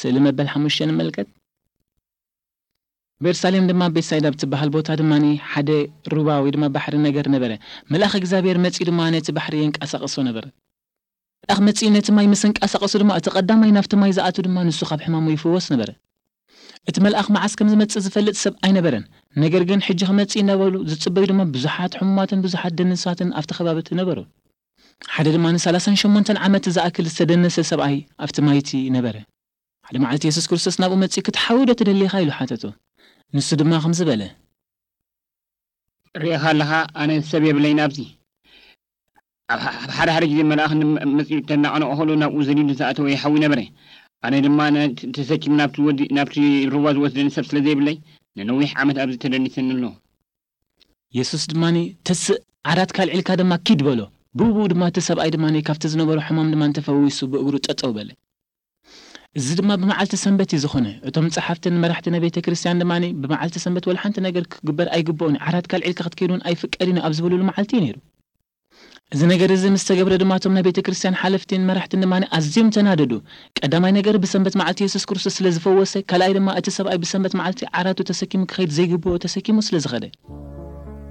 ስእሊ መበል ሓሙሽተ ንመልከት። ቤርሳሌም ድማ ቤትሳይዳ ብትበሃል ቦታ ድማ ሓደ ሩባ ወይ ድማ ባሕሪ ነገር ነበረ። መልኣኽ እግዚኣብሔር መጺኡ ድማ ነቲ ባሕሪ የንቀሳቐሶ ነበረ። መልኣኽ መጺኡ ነቲ ማይ ምስ ኣንቀሳቐሶ ድማ እቲ ቀዳማይ ናብቲ ማይ ዝኣቱ ድማ ንሱ ካብ ሕማሙ ይፍወስ ነበረ። እቲ መልኣኽ መዓስ ከም ዝመጽእ ዝፈልጥ ሰብ ኣይነበረን። ነገር ግን ሕጂ ክመጽእ እናበሉ ዝጽበዩ ድማ ብዙሓት ሕሙማትን ብዙሓት ደንሳትን ኣብቲ ከባቢ እቲ ነበሩ። ሓደ ድማ ንሰላሳን ሸሞንተን ዓመት ዝኣክል ዝተደነሰ ሰብኣይ ኣብቲ ማይቲ ነበረ። ሓደ መዓልቲ የሱስ ክርስቶስ ናብኡ መጺኡ ክትሓዊ ዶ ትደሊ ኢኻ ኢሉ ሓተቶ። ንሱ ድማ ከምዚ በለ። ርኢኻ ኣለኻ፣ ኣነ ሰብ የብለይን ኣብዚ። ኣብ ሓደ ሓደ ግዜ መልኣኽ መጺኡ ተናቐነቑ ከሎ ናብኡ ዘሊሉ ዝኣተወ ይሓዊ ነበረ። ኣነ ድማ ተሰኪሙ ናብቲ ሩባ ዝወስደኒ ሰብ ስለ ዘይብለይ ንነዊሕ ዓመት ኣብዚ ተደኒሰኒ ኣሎ። የሱስ ድማ ተስእ ዓራትካ ኣልዒልካ ድማ ኪድ በሎ። ብኡ ብኡ ድማ እቲ ሰብኣይ ድማ ካብቲ ዝነበሮ ሕማም ድማ ተፈዊሱ ብእግሩ ጠጠው በለ። እዚ ድማ ብመዓልቲ ሰንበት እዩ ዝኾነ። እቶም ጸሓፍትን መራሕቲ ናይ ቤተ ክርስቲያን ድማ ብመዓልቲ ሰንበት ወላ ሓንቲ ነገር ክግበር ኣይግብኦን፣ ዓራትካ ኣልዒልካ ክትከይድ እውን ኣይፍቀድን እዩ ኣብ ዝበሉሉ መዓልቲ እዩ ነይሩ። እዚ ነገር እዚ ምስ ተገብረ ድማ እቶም ናይ ቤተ ክርስቲያን ሓለፍትን መራሕትን ድማ ኣዝዮም ተናደዱ። ቀዳማይ ነገር ብሰንበት መዓልቲ የሱስ ክርስቶስ ስለ ዝፈወሰ፣ ካልኣይ ድማ እቲ ሰብኣይ ብሰንበት መዓልቲ ዓራቱ ተሰኪሙ ክኸይድ ዘይግብኦ ተሰኪሙ ስለ ዝኸደ።